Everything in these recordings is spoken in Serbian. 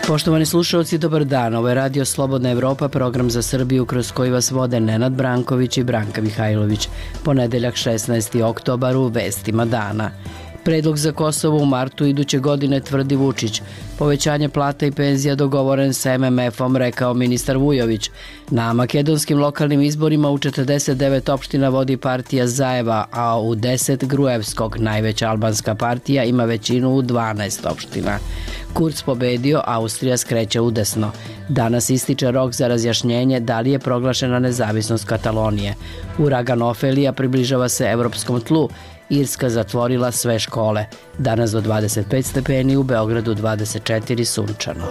Poštovani slušalci, dobar dan. Ovo je Radio Slobodna Evropa, program za Srbiju kroz koji vas vode Nenad Branković i Branka Mihajlović. Ponedeljak 16. oktobar u vestima dana. Predlog za Kosovo u martu iduće godine, tvrdi Vučić. Povećanje plata i penzija dogovoren sa MMF-om, rekao ministar Vujović. Na makedonskim lokalnim izborima u 49 opština vodi partija Zajeva, a u 10 Gruevskog. Najveća albanska partija ima većinu u 12 opština. Kurz pobedio, Austrija skreće udesno. Danas ističe rok za razjašnjenje da li je proglašena nezavisnost Katalonije. Uragan Ofelija približava se evropskom tlu. Irska zatvorila sve škole. Danas do 25 stepeni, u Beogradu 24 sunčano.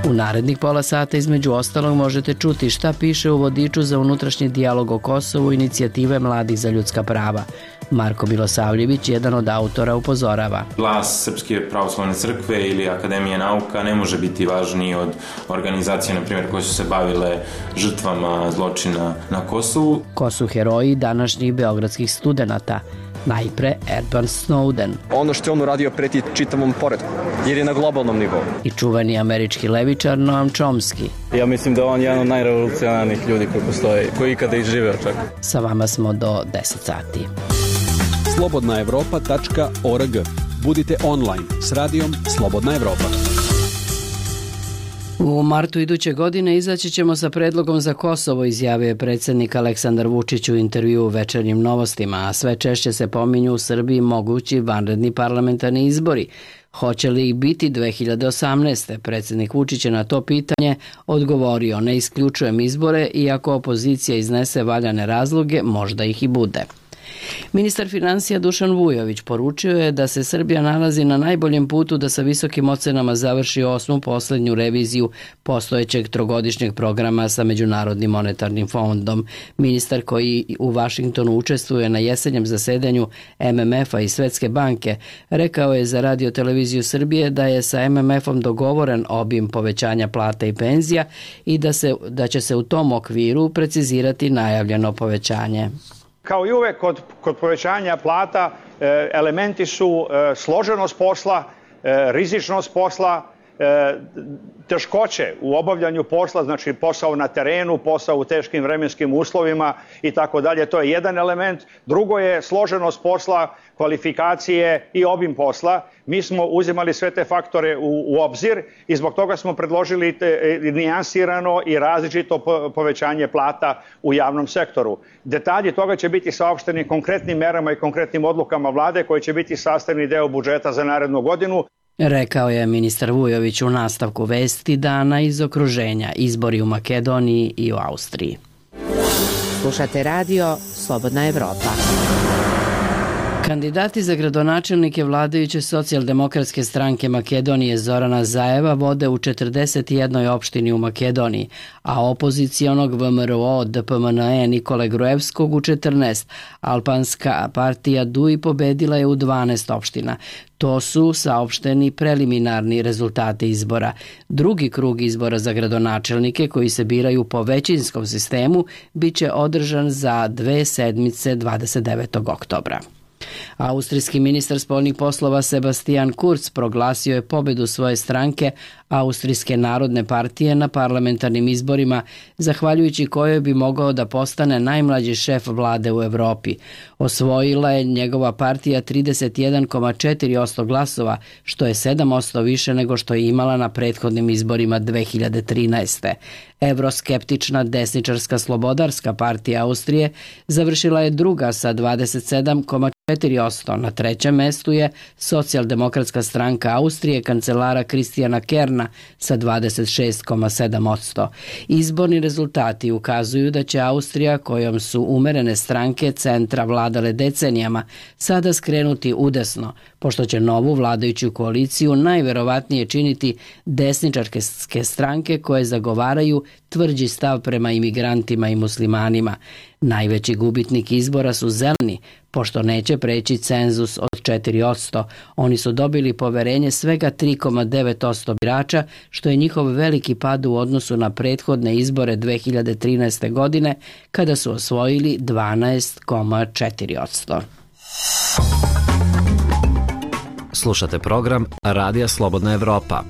U narednih pola sata između ostalog možete čuti šta piše u vodiču za unutrašnji dijalog o Kosovu inicijative Mladih za ljudska prava. Marko Milosavljević, jedan od autora, upozorava. Glas Srpske pravoslavne crkve ili Akademije nauka ne može biti važniji od organizacije, na primjer, koje su se bavile žrtvama zločina na Kosovu. Ko su heroji današnjih beogradskih studenata? Najpre Edward Snowden. Ono što je on uradio preti čitavom poretku, jer je na globalnom nivou. I čuveni američki levičar Noam Chomsky. Ja mislim da on je jedan od najrevolucionarnijih ljudi koji postoji, koji ikada i živeo čak. Sa vama smo do 10 sati. slobodnaevropa.org. Budite online s radijom Slobodna Evropa. U martu iduće godine izaći ćemo sa predlogom za Kosovo, izjavio je predsjednik Aleksandar Vučić u intervjuu u Večernjim novostima, a sve češće se pominju u Srbiji mogući vanredni parlamentarni izbori. Hoće li ih biti 2018. Predsjednik Vučić je na to pitanje odgovorio: ne isključujem izbore, iako opozicija iznese valjane razloge, možda ih i bude. Ministar financija Dušan Vujović poručio je da se Srbija nalazi na najboljem putu da sa visokim ocenama završi 8. posljednju reviziju postojećeg trogodišnjeg programa sa Međunarodnim monetarnim fondom. Ministar, koji u Vašingtonu učestvuje na jesenjem zasedanju MMF-a i Svetske banke, rekao je za Radio televiziju Srbije da je sa MMF-om dogovoren obim povećanja plata i penzija i da će se u tom okviru precizirati najavljeno povećanje. Kao i uvek kod povećanja plata elementi su složenost posla, rizičnost posla, teškoće u obavljanju posla, znači posao na terenu, posao u teškim vremenskim uslovima i tako dalje. To je jedan element. Drugo je složenost posla, kvalifikacije i obim posla. Mi smo uzimali sve te faktore u obzir i zbog toga smo predložili nijansirano i različito povećanje plata u javnom sektoru. Detalji toga će biti saopšteni konkretnim merama i konkretnim odlukama vlade koji će biti sastavni deo budžeta za narednu godinu. Rekao je ministar Vujović u nastavku vesti dana iz okruženja, izbori u Makedoniji i u Austriji. Slušate radio Slobodna Evropa. Kandidati za gradonačelnike vladajuće socijaldemokratske stranke Makedonije Zorana Zajeva vode u 41 opštini u Makedoniji, a opozicionog VMRO DPMNE Nikole Gruevskog u 14. Albanska partija DUI pobedila je u 12 opština. To su saopšteni preliminarni rezultati izbora. Drugi krug izbora za gradonačelnike, koji se biraju po većinskom sistemu, bit će održan za 2 sedmice 29. oktobra. Austrijski ministar spoljnih poslova Sebastian Kurz proglasio je pobedu svoje stranke Austrijske narodne partije na parlamentarnim izborima, zahvaljujući kojoj bi mogao da postane najmlađi šef vlade u Evropi. Osvojila je njegova partija 31,4% glasova, što je 7% više nego što je imala na prethodnim izborima 2013. Evroskeptična desničarska slobodarska partija Austrije završila je druga sa 27,4%. Na trećem mestu je socijaldemokratska stranka Austrije kancelara Kristijana Kerna sa 26,7%. Izborni rezultati ukazuju da će Austrija, kojom su umerene stranke centra vladale decenijama, sada skrenuti udesno, pošto će novu vladajuću koaliciju najverovatnije činiti desničarske stranke koje zagovaraju tvrđi stav prema imigrantima i muslimanima. Najveći gubitnik izbora su zeleni, pošto neće preći cenzus od 4%. Oni su dobili poverenje svega 3,9% birača, što je njihov veliki pad u odnosu na prethodne izbore 2013. godine, kada su osvojili 12,4%. Slušate program Radija Slobodna Evropa.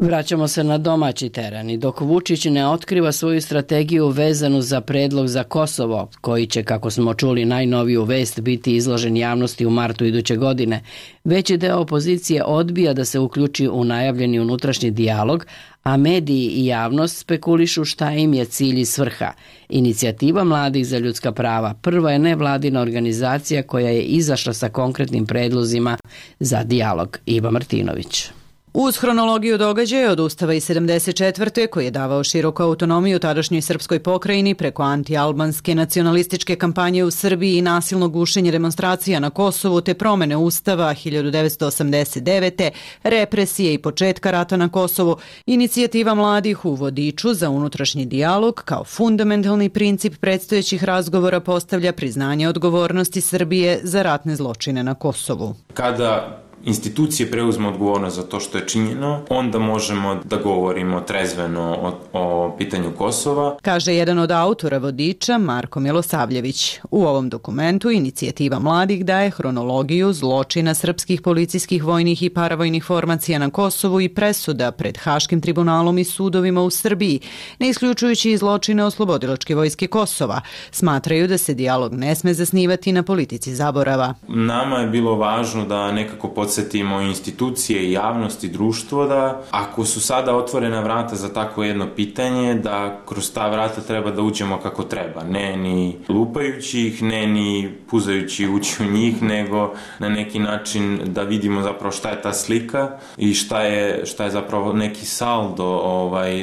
Vraćamo se na domaći teren i dok Vučić ne otkriva svoju strategiju vezanu za predlog za Kosovo, koji će, kako smo čuli najnoviju vest, biti izložen javnosti u martu iduće godine, veći deo opozicije odbija da se uključi u najavljeni unutrašnji dijalog, a mediji i javnost spekulišu šta im je cilj i svrha. Inicijativa Mladih za ljudska prava prva je nevladina organizacija koja je izašla sa konkretnim predlozima za dijalog. Iva Martinović. Uz hronologiju događaja od Ustava iz 74. koji je davao široku autonomiju tadašnjoj srpskoj pokrajini preko anti-albanske nacionalističke kampanje u Srbiji i nasilno gušenje demonstracija na Kosovu te promene Ustava 1989. represije i početka rata na Kosovu, inicijativa mladih u vodiču za unutrašnji dijalog kao fundamentalni princip predstojećih razgovora postavlja priznanje odgovornosti Srbije za ratne zločine na Kosovu. Kada institucije preuzme odgovornost za to što je činjeno, onda možemo da govorimo trezveno o pitanju Kosova. Kaže jedan od autora vodiča, Marko Milosavljević. U ovom dokumentu inicijativa mladih daje hronologiju zločina srpskih policijskih, vojnih i paravojnih formacija na Kosovu i presuda pred Haškim tribunalom i sudovima u Srbiji, ne isključujući i zločine oslobodilačke vojske Kosova. Smatraju da se dijalog ne sme zasnivati na politici zaborava. Nama je bilo važno da nekako podsjetimo institucije i javnost i društvo da ako su sada otvorena vrata za tako jedno pitanje, da kroz ta vrata treba da uđemo kako treba. Ne ni lupajući ih, ne ni puzajući ući u njih, nego na neki način da vidimo zapravo šta je ta slika i šta je zapravo neki saldo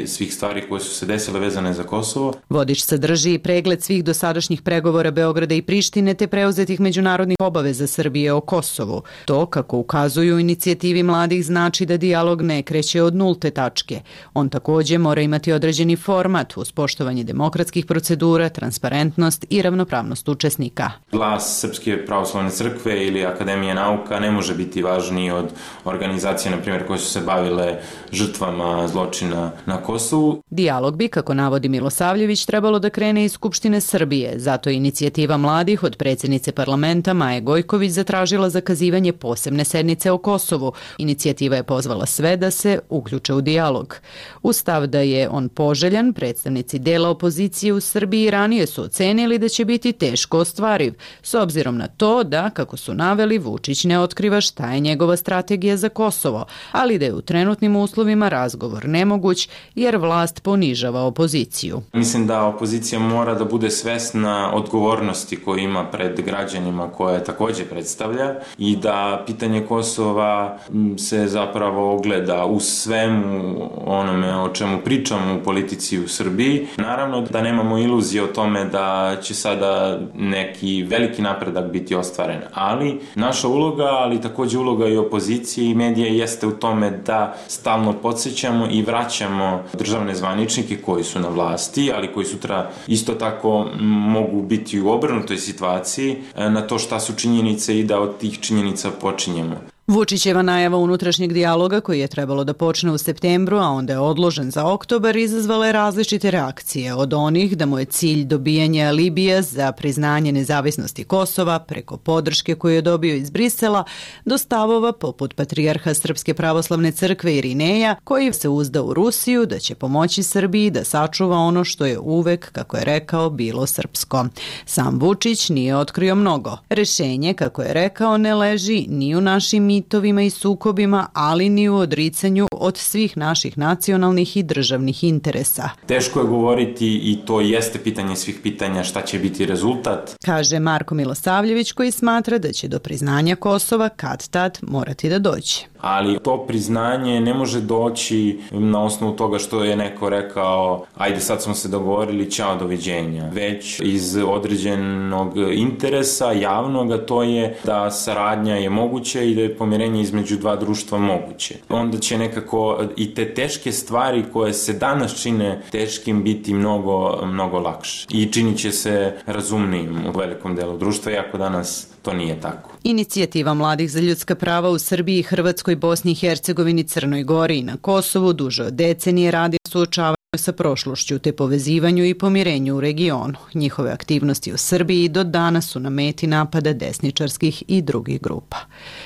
svih stvari koje su se desile vezane za Kosovo. Vodič sadrži i pregled svih dosadašnjih pregovora Beograda i Prištine te preuzetih međunarodnih obaveza Srbije o Kosovu. To, kako ukazuju inicijativi mladih, znači da dijalog ne kreće od nulte tačke. On takođe mora imati određeni format uz poštovanje demokratskih procedura, transparentnost i ravnopravnost učesnika. Glas Srpske pravoslavne crkve ili Akademije nauka ne može biti važniji od organizacije, na primjer, koje su se bavile žrtvama zločina na Kosovu. Dijalog bi, kako navodi Milosavljević, trebalo da krene iz Skupštine Srbije. Zato je inicijativa mladih od predsjednice parlamenta Maje Gojković zatražila zakazivanje posebne sednice o Kosovu. Inicijativa je pozvala sve da se uključe u dijalog. Uz stav da je on poželjan, predstavnici dela opozicije u Srbiji ranije su ocenili da će biti teško ostvariv, s obzirom na to da, kako su naveli, Vučić ne otkriva šta je njegova strategija za Kosovo, ali da je u trenutnim uslovima razgovor nemoguć jer vlast ponižava opoziciju. Mislim da opozicija mora da bude svesna odgovornosti koju ima pred građanima koje takođe predstavlja i da pitanje Kosova se zapravo ogleda u svemu onome o čemu pričamo u politici u Srbiji. Naravno da nemamo iluzije o tome da će sada neki veliki napredak biti ostvaren, ali naša uloga, ali takođe uloga i opozicije i medija jeste u tome da stalno podsjećamo i vraćamo državne zvaničnike koji su na vlasti, ali koji sutra isto tako mogu biti u obrnutoj situaciji na to šta su činjenice i da od tih činjenica počinjemo. Vučićeva najava unutrašnjeg dijaloga koji je trebalo da počne u septembru, a onda je odložen za oktobar, izazvala je različite reakcije, od onih da mu je cilj dobijanje alibija za priznanje nezavisnosti Kosova preko podrške koju je dobio iz Brisela, do stavova poput patrijarha Srpske pravoslavne crkve Irineja, koji se uzda u Rusiju da će pomoći Srbiji da sačuva ono što je uvek, kako je rekao, bilo srpsko. Sam Vučić nije otkrio mnogo. Rešenje, kako je rekao, ne leži ni u našim mitovima i sukobima, ali ni u odricanju od svih naših nacionalnih i državnih interesa. Teško je govoriti i to jeste pitanje svih pitanja šta će biti rezultat. Kaže Marko Milosavljević, koji smatra da će do priznanja Kosova kad tad morati da dođe. Ali to priznanje ne može doći na osnovu toga što je neko rekao ajde sad smo se dogovorili, ćao, doviđenja. Već iz određenog interesa javnog, a to je da saradnja je moguća i da je pomirenje između dva društva moguće. Onda će nekako i te teške stvari koje se danas čine teškim biti mnogo lakše. I činit će se razumnijim u velikom delu društva, iako danas to nije tako. Inicijativa Mladih za ljudska prava u Srbiji, Hrvatskoj, Bosni i Hercegovini, Crnoj Gori i na Kosovu duže od decenije radi suočavanja sa prošlošću te povezivanju i pomirenju u regionu. Njihove aktivnosti u Srbiji do danas su na meti napada desničarskih i drugih grupa.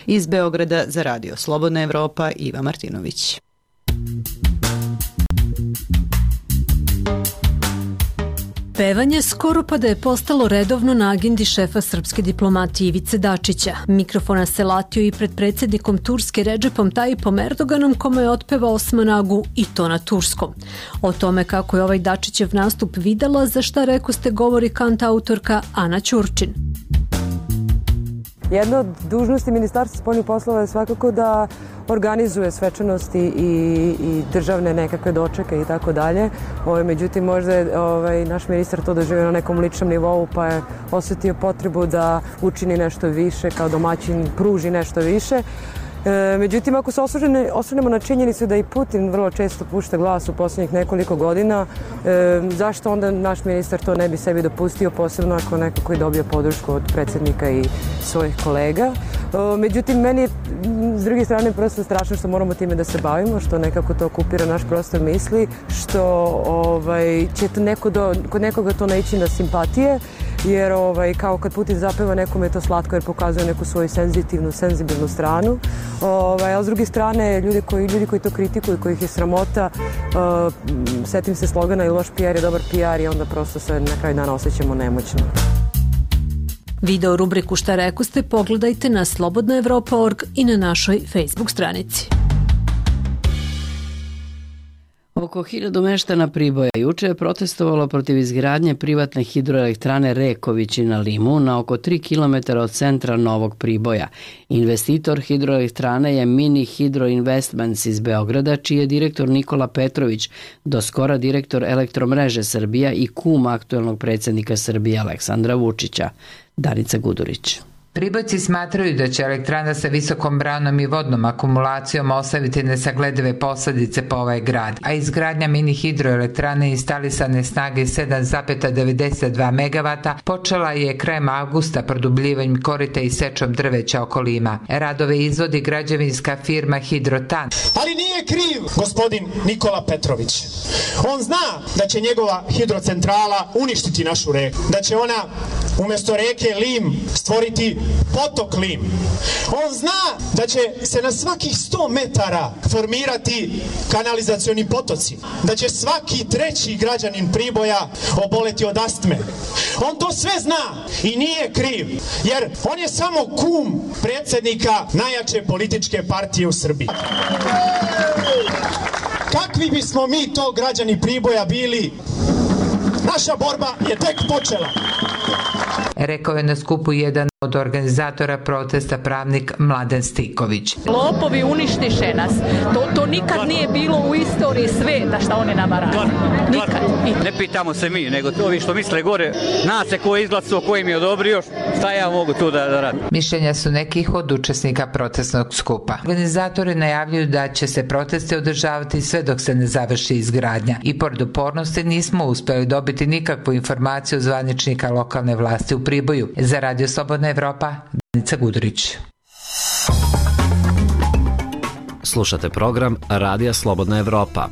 Iz Beograda za Radio Slobodna Evropa, Iva Martinović. Pevanje skoro pa da je postalo redovno na agendi šefa srpske diplomatije Ivice Dačića. Mikrofona se latio i pred predsjednikom Turske Redžepom Tayyipom Erdoganom, kome je otpevao Osman Agu i to na turskom. O tome kako je ovaj Dačićev nastup videla, za šta rekoste govori kantautorka Ana Ćurčin. Jedna od dužnosti Ministarstva spoljnih poslova je svakako da organizuje svečanosti i državne nekakve dočeke i tako dalje. Međutim, možda je naš ministar to doživio na nekom ličnom nivou, pa je osjetio potrebu da učini nešto više, kao domaćin pruži nešto više. Međutim, ako se osvrnemo na činjenicu da i Putin vrlo često pušta glas u posljednjih nekoliko godina, zašto onda naš ministar to ne bi sebi dopustio, posebno ako neko koji dobije podršku od predsjednika i svojih kolega. Međutim, meni je s druge strane prosto strašno što moramo time da se bavimo, što nekako to okupira naš prostor misli, što će kod nekoga to naići na simpatije, jer kao kad Putin zapeva nekome je to slatko jer pokazuje neku svoju senzibilnu stranu. A s druge strane, ljudi koji to kritikuju, kojih je sramota, setim se slogana i loš PR je dobar PR i onda prosto se na kraju dana osjećamo nemoćno. Video rubriku Šta rekoste pogledajte na slobodnaevropa.org i na našoj Facebook stranici. Oko 1000 meštana Priboja juče je protestovalo protiv izgradnje privatne hidroelektrane Rekovići na Limu na oko 3 km od centra Novog Priboja. Investitor hidroelektrane je Mini Hydro Investments iz Beograda, čiji je direktor Nikola Petrović, doskora direktor Elektromreže Srbija i kum aktuelnog predsjednika Srbije Aleksandra Vučića. Danica Gudurić. Pribojci smatraju da će elektrana sa visokom branom i vodnom akumulacijom ostaviti nesagledive posljedice po ovaj grad, a izgradnja mini hidroelektrane instalisane snage 7,92 MW počela je krajem avgusta produbljivanjem korita i sečom drveća oko Lima. Radove izvodi građevinska firma Hidrotan. Ali nije kriv gospodin Nikola Petrović. On zna da će njegova hidrocentrala uništiti našu reku, da će ona umjesto reke Lim stvoriti potok Lim. On zna da će se na svakih 100 metara formirati kanalizacioni potoci, da će svaki treći građanin Priboja oboleti od astme. On to sve zna i nije kriv, jer on je samo kum predsjednika najjače političke partije u Srbiji. Kakvi bismo mi to građani Priboja bili? Naša borba je tek počela. Rekao je na skupu jedan od organizatora protesta pravnik Mladen Stiković. Lopovi uništiše nas. To nikad nije bilo u istoriji sveta šta oni nama rade. Nikad. Ne pitamo se mi, nego to vi što misle gore, zna se ko je izglasao, ko im je odobrio, šta ja mogu tu da radim. Mišljenja su nekih od učesnika protestnog skupa. Organizatori najavljuju da će se proteste održavati sve dok se ne završi izgradnja. I pored upornosti nismo uspeli dobiti nikakvu informaciju od zvaničnika lokalne vlasti u Priboju. Za Radio Slobodna Evropa, Danica Gudurić. Slušate program Radija Slobodna Evropa.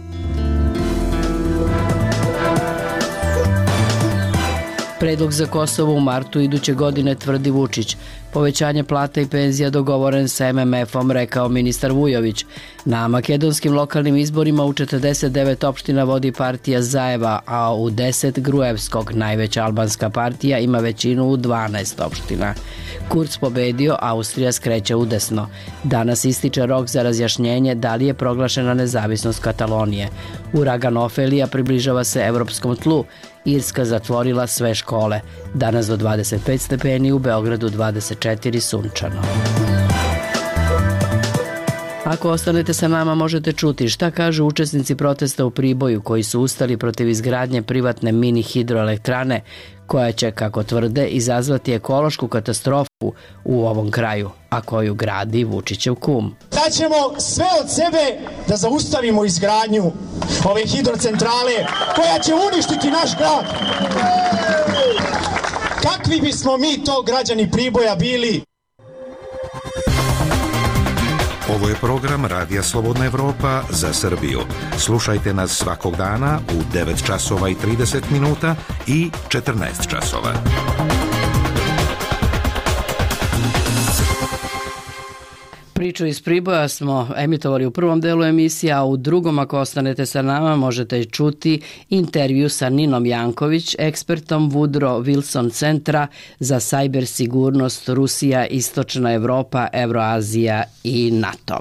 Predlog za Kosovo u martu iduće godine, tvrdi Vučić. Povećanje plata i penzija dogovoren sa MMF-om, rekao ministar Vujović. Na makedonskim lokalnim izborima u 49 opština vodi partija Zajeva, a u 10 Gruevskog, najveća albanska partija, ima većinu u 12 opština. Kurz pobedio, Austrija skreće udesno. Danas ističe rok za razjašnjenje da li je proglašena nezavisnost Katalonije. Uragan Ofelija približava se evropskom tlu. Irska zatvorila sve škole. Danas do 25 stepeni, u Beogradu 24 sunčano. Ako ostanete sa nama, možete čuti šta kažu učesnici protesta u Priboju koji su ustali protiv izgradnje privatne mini hidroelektrane koja će, kako tvrde, izazvati ekološku katastrofu u ovom kraju, a koju gradi Vučićev kum. Daćemo sve od sebe da zaustavimo izgradnju ove hidrocentrale koja će uništiti naš grad. Kakvi bismo mi to građani Priboja bili? Ovo je program Radija Slobodna Evropa za Srbiju. Slušajte nas svakog dana u 9 časova i 30 minuta i 14 časova. Priču iz Priboja smo emitovali u prvom delu emisije, a u drugom, ako ostanete sa nama, možete čuti intervju sa Ninom Janković, ekspertom Woodrow Wilson centra za cyber sigurnost Rusija, Istočna Evropa, Evroazija i NATO.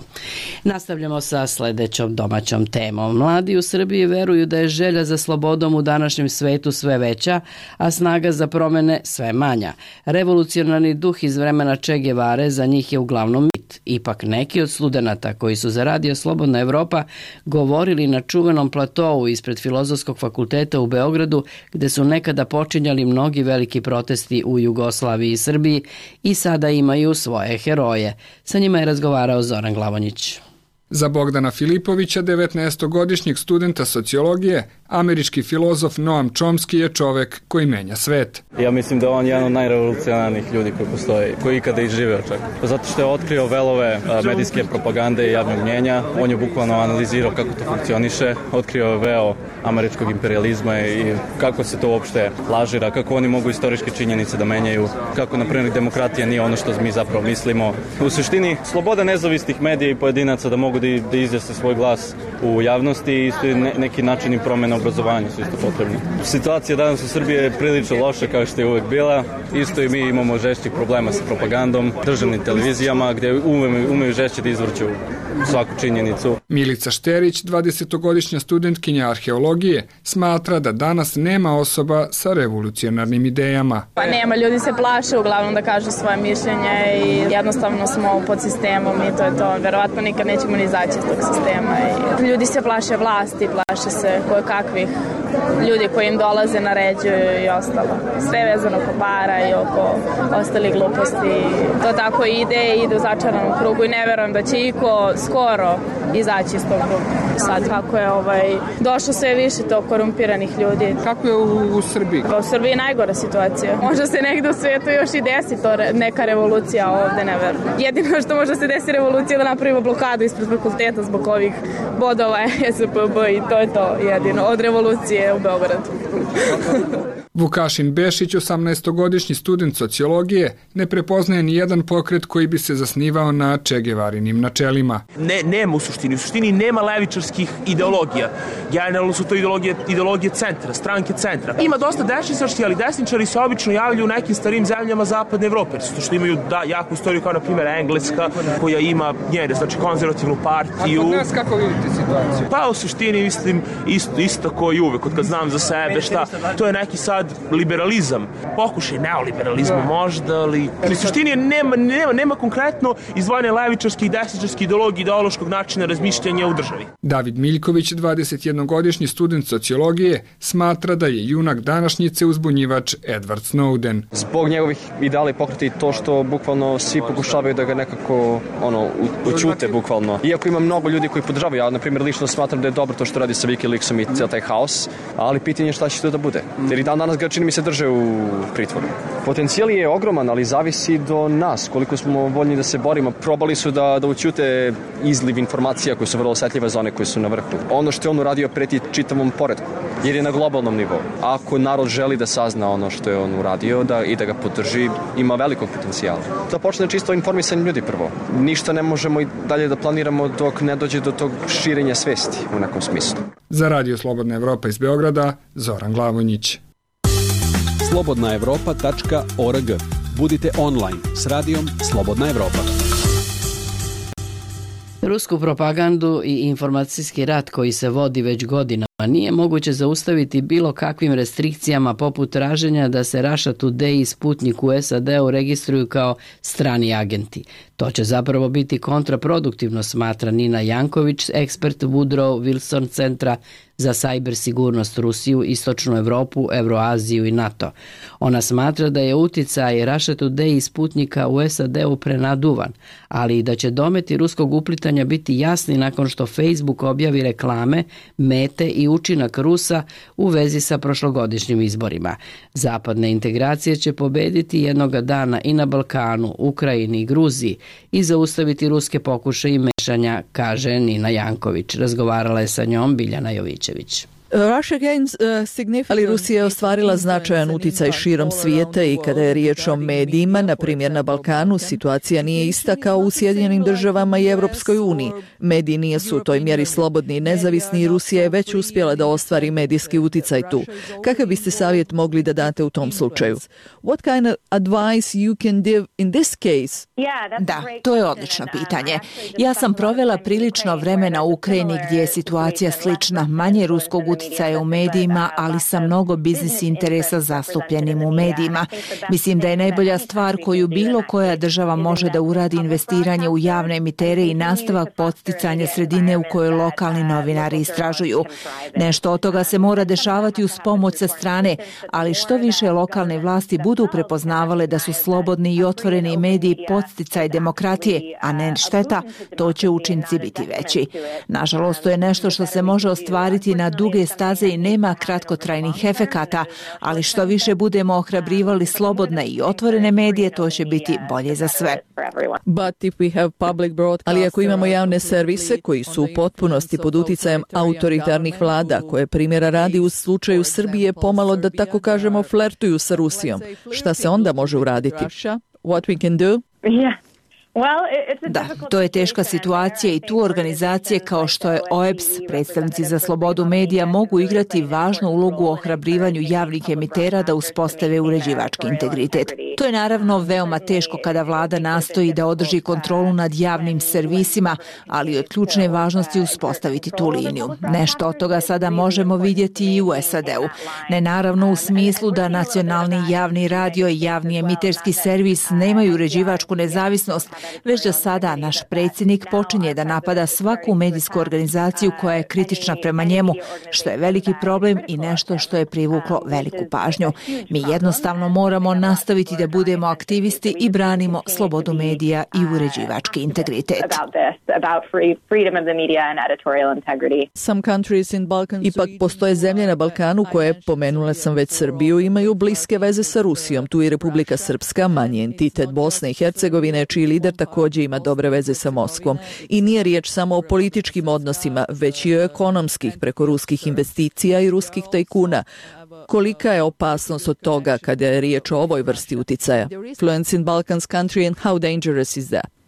Nastavljamo sa sledećom domaćom temom. Mladi u Srbiji veruju da je želja za slobodom u današnjem svetu sve veća, a snaga za promene sve manja. Revolucionarni duh iz vremena Che Guevare za njih je uglavnom mit. Ipak neki od studenata koji su za Radio Slobodna Evropa govorili na čuvenom platovu ispred Filozofskog fakulteta u Beogradu, gde su nekada počinjali mnogi veliki protesti u Jugoslaviji i Srbiji, i sada imaju svoje heroje. Sa njima je razgovarao Zoran Glavonjić. Za Bogdana Filipovića, 19-godišnjeg studenta sociologije, američki filozof Noam Chomsky je čovek koji menja svet. Ja mislim da on je jedan od najrevolucionarnijih ljudi koji postoji, koji ikada i živeo čak. Zato što je otkrio velove medijske propagande i javnog mnjenja, on je bukvalno analizirao kako to funkcioniše, otkrio je veo američkog imperializma i kako se to uopšte lažira, kako oni mogu istorijske činjenice da menjaju, kako, na primjer, demokratija nije ono što mi zapravo mislimo. U suštini, sloboda nezavisnih medija i pojedinaca da mogu da izjasne svoj glas u javnosti i isto neki načini promjena obrazovanja su isto potrebni. Situacija danas u Srbiji je prilično loša kao što je uvek bila. Isto i mi imamo žešćih problema sa propagandom, državnim televizijama gdje umeju žešće da izvrću svaku činjenicu. Milica Šterić, 20-godišnja studentkinja arheologije, smatra da danas nema osoba sa revolucionarnim idejama. Pa nema, ljudi se plaše uglavnom da kažu svoje mišljenje i jednostavno smo pod sistemom i to je to. Verovatno nikad nećemo ni izaći iz tog sistema. I ljudi se plaše vlasti, plaše se kakvih ljudi koji im dolaze, naređuju i ostalo. Sve vezano oko para i oko ostalih gluposti. To tako ide u začaranom krugu i ne verujem da će iko skoro izaći iz tog kruga. Sad kako je došlo sve više to korumpiranih ljudi. Kako je u Srbiji? U Srbiji je najgora situacija. Možda se negde u svijetu još i desi to neka revolucija, ovde ne verujem. Jedino što možda se desi revolucija da napravimo blokadu ispred fakulteta zbog ovih bodova SPB i to je to jedino od revolucije u Beogradu. Vukašin Bešić, 18-godišnji student sociologije, ne prepoznaje ni jedan pokret koji bi se zasnivao na Che Guevarinim načelima. Nema u suštini nema levičarskih ideologija. Generalno su to ideologije centra, stranke centra. Ima dosta desničarskih, ali desničari se obično javljaju u nekim starim zemljama zapadne Evrope, zato što imaju jaku istoriju kao na primjer Engleska, koja ima njene, znači konzervativnu partiju. A kod nas kako vidite situaciju? Pa u suštini mislim isto kao i uvek, kad znam za sebe, to je neki sad liberalizam, pokušaj neoliberalizma možda, ali u suštini nema konkretno izdvojene levičarske i desničarske ideologije, ideološkog načina razmišljanja u državi. David Miljković, 21-godišnji student sociologije, smatra da je junak današnjice uzbunjivač Edward Snowden. Zbog njegovih ideala i pokreta i to što bukvalno svi pokušavaju da ga nekako učute bukvalno. Iako ima mnogo ljudi koji podržavaju, ja na primjer lično smatram da je dobro to što radi sa Wikileaksom i cijel taj haos, ali pitanje je šta će to da bude. Jer i danas ga čini mi se drže u pritvoru. Potencijal je ogroman, ali zavisi do nas, koliko smo voljni da se borimo. Probali su da učute izliv informacija koje su vrlo osetljive za one koje su na vrhu. Ono što je on uradio preti čitavom poretku, jer je na globalnom nivou. Ako narod želi da sazna ono što je on uradio i da ga podrži, ima velikog potencijala. Da počne čisto informisanje ljudi prvo. Ništa ne možemo i dalje da planiramo dok ne dođe do tog širenja svesti u nekom smislu. Za Radio Slobodna Evropa iz Beograda, Zoran Glavonjić. slobodnaevropa.org. Budite online s radijom Slobodna Evropa. Rusku propagandu i informacijski rat koji se vodi već godinama nije moguće zaustaviti bilo kakvim restrikcijama poput traženja da se Russia Today i Sputnik u SAD-u registruju kao strani agenti. To će zapravo biti kontraproduktivno, smatra Nina Janković, ekspert Woodrow Wilson centra za cyber sigurnost Rusiju, Istočnu Evropu, Evroaziju i NATO. Ona smatra da je uticaj Russia Today i Sputnika u SAD-u prenaduvan, ali i da će dometi ruskog uplitanja biti jasni nakon što Facebook objavi reklame, mete i i učinak Rusa u vezi sa prošlogodišnjim izborima. Zapadne integracije će pobediti jednoga dana i na Balkanu, Ukrajini i Gruziji i zaustaviti ruske pokušaje i mešanja, kaže Nina Janković. Razgovarala je sa njom Biljana Jovićević. Ali Rusija je ostvarila značajan uticaj širom svijeta i kada je riječ o medijima, na primjer na Balkanu, situacija nije ista kao u Sjedinjenim državama i Evropskoj uniji. Mediji nisu u toj mjeri slobodni i nezavisni i Rusija je već uspjela da ostvari medijski uticaj tu. Kakav biste savjet mogli da date u tom slučaju? What kind of advice you can give in this case? Da, to je odlično pitanje. Ja sam provela prilično vremena u Ukrajini gdje je situacija slična, manje ruskog uticaja u medijima, ali sa mnogo biznis interesa zastupljenim u medijima. Mislim da je najbolja stvar koju bilo koja država može da uradi investiranje u javne emitere i nastavak podsticanja sredine u kojoj lokalni novinari istražuju. Nešto od toga se mora dešavati uz pomoć sa strane, ali što više lokalne vlasti budu prepoznavale da su slobodni i otvoreni mediji podsticaj demokratije, a ne šteta, to će učinci biti veći. Nažalost, to je nešto što se može ostvariti na duge staze i nema kratkotrajnih efekata, ali što više budemo ohrabrivali slobodne i otvorene medije, to će biti bolje za sve. Ali ako imamo javne servise koji su u potpunosti pod uticajem autoritarnih vlada, koje primjera radi u slučaju Srbije pomalo, da tako kažemo, flertuju sa Rusijom, šta se onda može uraditi? What we can do? Da, to je teška situacija i tu organizacije kao što je OEBS, predstavnici za slobodu medija, mogu igrati važnu ulogu u ohrabrivanju javnih emitera da uspostave uređivački integritet. To je naravno veoma teško kada vlada nastoji da održi kontrolu nad javnim servisima, ali od ključne važnosti uspostaviti tu liniju. Nešto od toga sada možemo vidjeti i u SAD-u. Ne naravno u smislu da nacionalni javni radio i javni emiterski servis nemaju uređivačku nezavisnost, već da sada naš predsjednik počinje da napada svaku medijsku organizaciju koja je kritična prema njemu, što je veliki problem i nešto što je privuklo veliku pažnju. Mi jednostavno moramo nastaviti da budemo aktivisti i branimo slobodu medija i uređivački integritet. Ipak postoje zemlje na Balkanu koje, pomenula sam već Srbiju, imaju bliske veze sa Rusijom. Tu i Republika Srpska, manji entitet Bosne i Hercegovine, čiji lider također ima dobre veze sa Moskvom. I nije riječ samo o političkim odnosima, već i o ekonomskih, preko ruskih investicija i ruskih tajkuna. Kolika je opasnost od toga kada je riječ o ovoj vrsti uticaja? Fluence in Balkans country and how dangerous is that?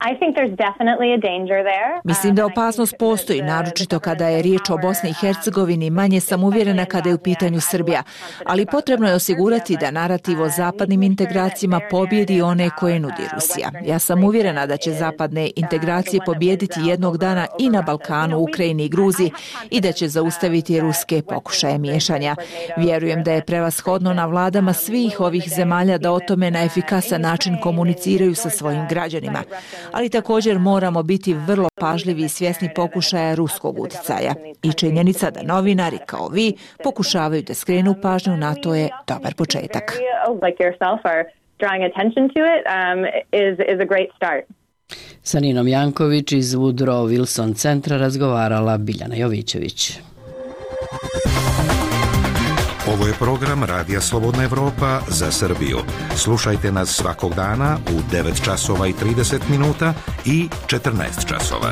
Mislim da opasnost postoji, naročito kada je riječ o Bosni i Hercegovini, manje sam uvjerena kada je u pitanju Srbija, ali potrebno je osigurati da narativ o zapadnim integracijama pobjedi one koje nudi Rusija. Ja sam uvjerena da će zapadne integracije pobjediti jednog dana i na Balkanu, Ukrajini i Gruziji i da će zaustaviti ruske pokušaje miješanja. Vjerujem da je prevashodno na vladama svih ovih zemalja da o tome na efikasan način komuniciraju sa svojim građanima. Ali također moramo biti vrlo pažljivi i svjesni pokušaja ruskog uticaja. I činjenica da novinari kao vi pokušavaju da skrenu pažnju na to je dobar početak. Sa Ninom Janković iz Woodrow Wilson centra razgovarala Biljana Jovićević. Ovo je program Radija Slobodna Evropa za Srbiju. Slušajte nas svakog dana u 9 časova i 30 minuta i 14 časova.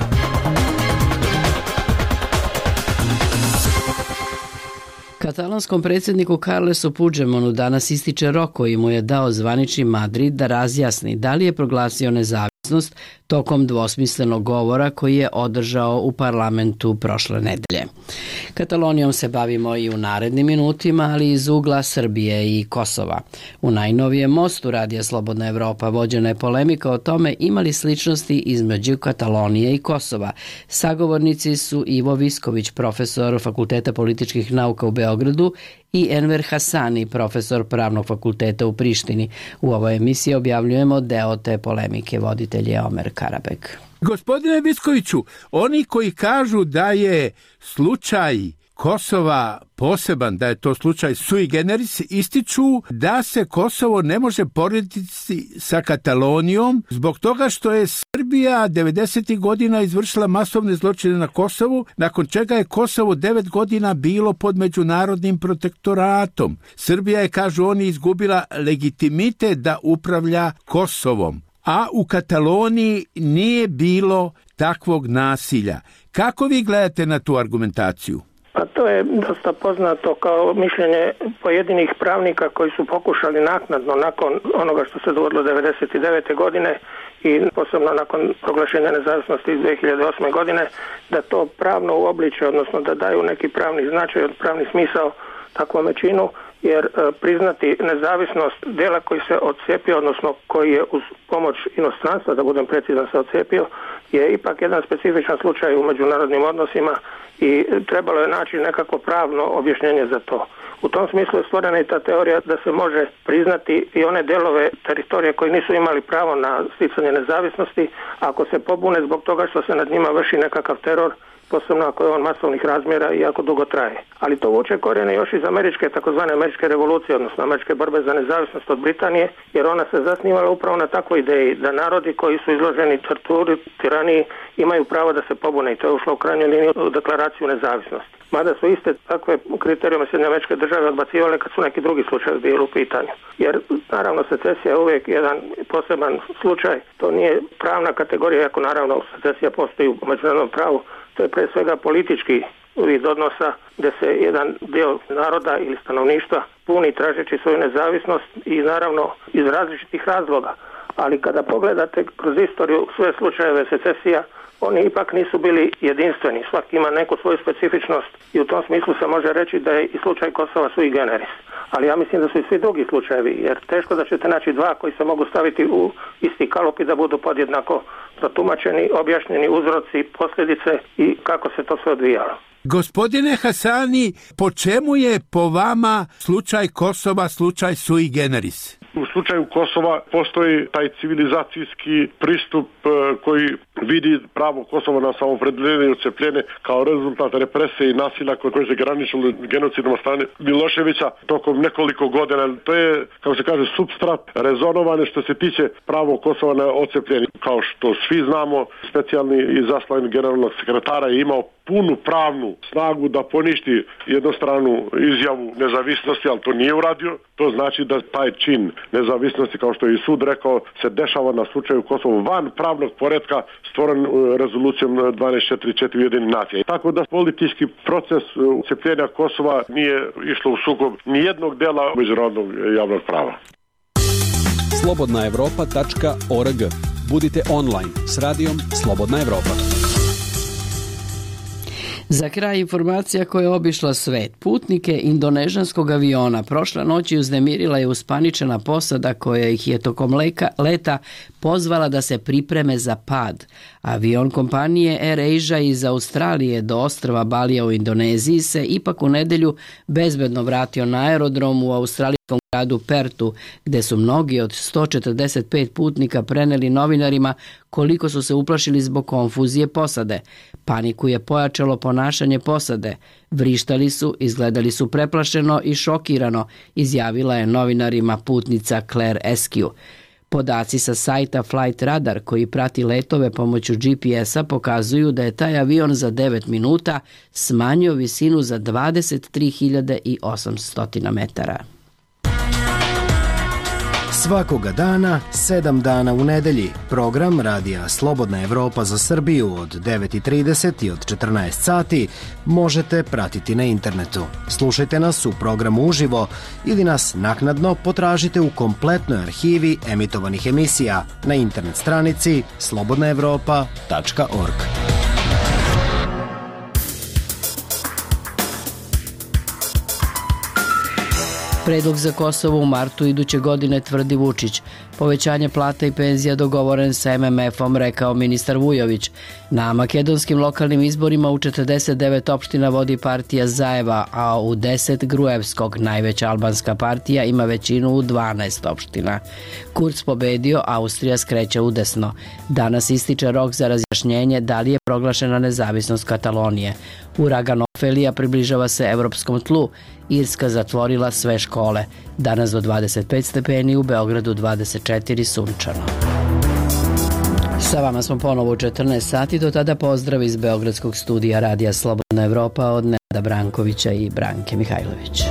Katalonskom predsjedniku Carlesu Puigdemontu danas ističe rok koji mu je dao zvanični Madrid da razjasni da li je proglasio nezavisnost tokom dvosmislenog govora koji je održao u parlamentu prošle nedelje. Katalonijom se bavimo i u narednim minutima, ali iz ugla Srbije i Kosova. U najnovijem mostu Radija Slobodna Evropa vođena je polemika o tome ima li sličnosti između Katalonije i Kosova. Sagovornici su Ivo Visković, profesor Fakulteta političkih nauka u Beogradu, i Enver Hasani, profesor Pravnog fakulteta u Prištini. U ovoj emisiji objavljujemo deo te polemike, voditelj je Omer Karabek. Gospodine Viskoviću, oni koji kažu da je slučaj Kosova poseban, da je to slučaj sui generis, ističu da se Kosovo ne može porediti sa Katalonijom zbog toga što je Srbija 90. godina izvršila masovne zločine na Kosovu, nakon čega je Kosovo 9 godina bilo pod međunarodnim protektoratom. Srbija je, kažu oni, izgubila legitimitet da upravlja Kosovom, a u Kataloniji nije bilo takvog nasilja. Kako vi gledate na tu argumentaciju? Pa to je dosta poznato kao mišljenje pojedinih pravnika koji su pokušali naknadno, nakon onoga što se dogodilo 1999. godine i posebno nakon proglašenja nezavisnosti iz 2008. godine, da to pravno uobliče, odnosno da daju neki pravni značaj, pravni smisao takvom činu, jer priznati nezavisnost dela koji se odcepio, odnosno koji je uz pomoć inostranstva, da budem precizan, se odcepio, je ipak jedan specifičan slučaj u međunarodnim odnosima i trebalo je naći nekako pravno objašnjenje za to. U tom smislu je stvorena i ta teorija da se može priznati i one delove teritorije koji nisu imali pravo na sticanje nezavisnosti, ako se pobune zbog toga što se nad njima vrši nekakav teror, posebno ako je on masovnih razmjera i ako dugo traje. Ali to vuče korijene još iz američke, takozvane američke revolucije, odnosno američke borbe za nezavisnost od Britanije, jer ona se zasnivala upravo na takvoj ideji da narodi koji su izloženi torturi, tiraniji, imaju pravo da se pobune i to je ušlo u krajnjoj liniji u deklaraciju nezavisnosti. Mada su iste takve kriterijume Sjedinjene Američke Države odbacivale kad su neki drugi slučajevi bili u pitanju. Jer naravno secesija je uvijek jedan poseban slučaj, to nije pravna kategorija, iako naravno secesija postoji u međunarodnom pravu. To je pre svega politički vid odnosa gdje se jedan dio naroda ili stanovništva puni tražeći svoju nezavisnost i naravno iz različitih razloga. Ali kada pogledate kroz istoriju sve slučajeve secesija, oni ipak nisu bili jedinstveni. Svaki ima neku svoju specifičnost i u tom smislu se može reći da je i slučaj Kosova sui generis. Ali ja mislim da su i svi drugi slučajevi, jer teško da ćete naći dva koji se mogu staviti u isti kalup i da budu podjednako protumačeni, objašnjeni uzroci, posljedice i kako se to sve odvijalo. Gospodine Hasani, po čemu je po vama slučaj Kosova slučaj sui generis? U slučaju Kosova postoji taj civilizacijski pristup koji vidi pravo Kosova na samoopredeljenje i odcepljenje kao rezultat represije i nasilja koje se graničilo genocidom od strane Miloševića tokom nekoliko godina. To je, kako se kaže, supstrat rezonovane što se tiče pravo Kosova na odcepljenje. Kao što svi znamo, specijalni izaslanik generalnog sekretara je imao punu pravnu snagu da poništi jednostranu izjavu nezavisnosti, ali to nije uradio. To znači da taj čin nezavisnosti, kao što je i sud rekao, se dešava na slučaju Kosova van pravnog poretka stvoren rezolucijom 1244 Ujedinjenih nacija. Tako da politički proces ucepljenja Kosova nije išlo u sukob nijednog dela međunarodnog javnog prava. slobodnaevropa.org. Budite online s radijom Slobodna Evropa. Za kraj informacija koja je obišla svet. Putnike indonežanskog aviona prošle noći uznemirila je uspaničena posada koja ih je tokom leta pozvala da se pripreme za pad. Avion kompanije Air Asia iz Australije do ostrva Balija u Indoneziji se ipak u nedelju bezbedno vratio na aerodrom u australijskom gradu Pertu, gde su mnogi od 145 putnika preneli novinarima koliko su se uplašili zbog konfuzije posade. Paniku je pojačalo ponašanje posade. Vrištali su, izgledali su preplašeno i šokirano, izjavila je novinarima putnica Claire Eskew. Podaci sa sajta Flight Radar koji prati letove pomoću GPS-a pokazuju da je taj avion za 9 minuta smanjio visinu za 23.800 metara. Svakoga dana, 7 dana u nedelji, program Radija Slobodna Evropa za Srbiju od 9:30 i od 14 sati možete pratiti na internetu. Slušajte nas u programu uživo ili nas naknadno potražite u kompletnoj arhivi emitovanih emisija na internet stranici slobodnaevropa.org. Predlog za Kosovo u martu iduće godine, tvrdi Vučić. Povećanje plata i penzija dogovoren sa MMF-om, rekao ministar Vujović. Na makedonskim lokalnim izborima u 49 opština vodi partija Zajeva, a u 10 Gruevskog. Najveća albanska partija ima većinu u 12 opština. Kurz pobedio, Austrija skreće udesno. Danas ističe rok za razjašnjenje da li je proglašena nezavisnost Katalonije. Uragan Ofelija približava se evropskom tlu. Irska zatvorila sve škole. Danas do 25 stepeni, u Beogradu 24 sunčano. Sa vama smo ponovo u 14 sati, do tada pozdrav iz Beogradskog studija Radija Slobodna Evropa od Nenada Brankovića i Branke Mihajlović.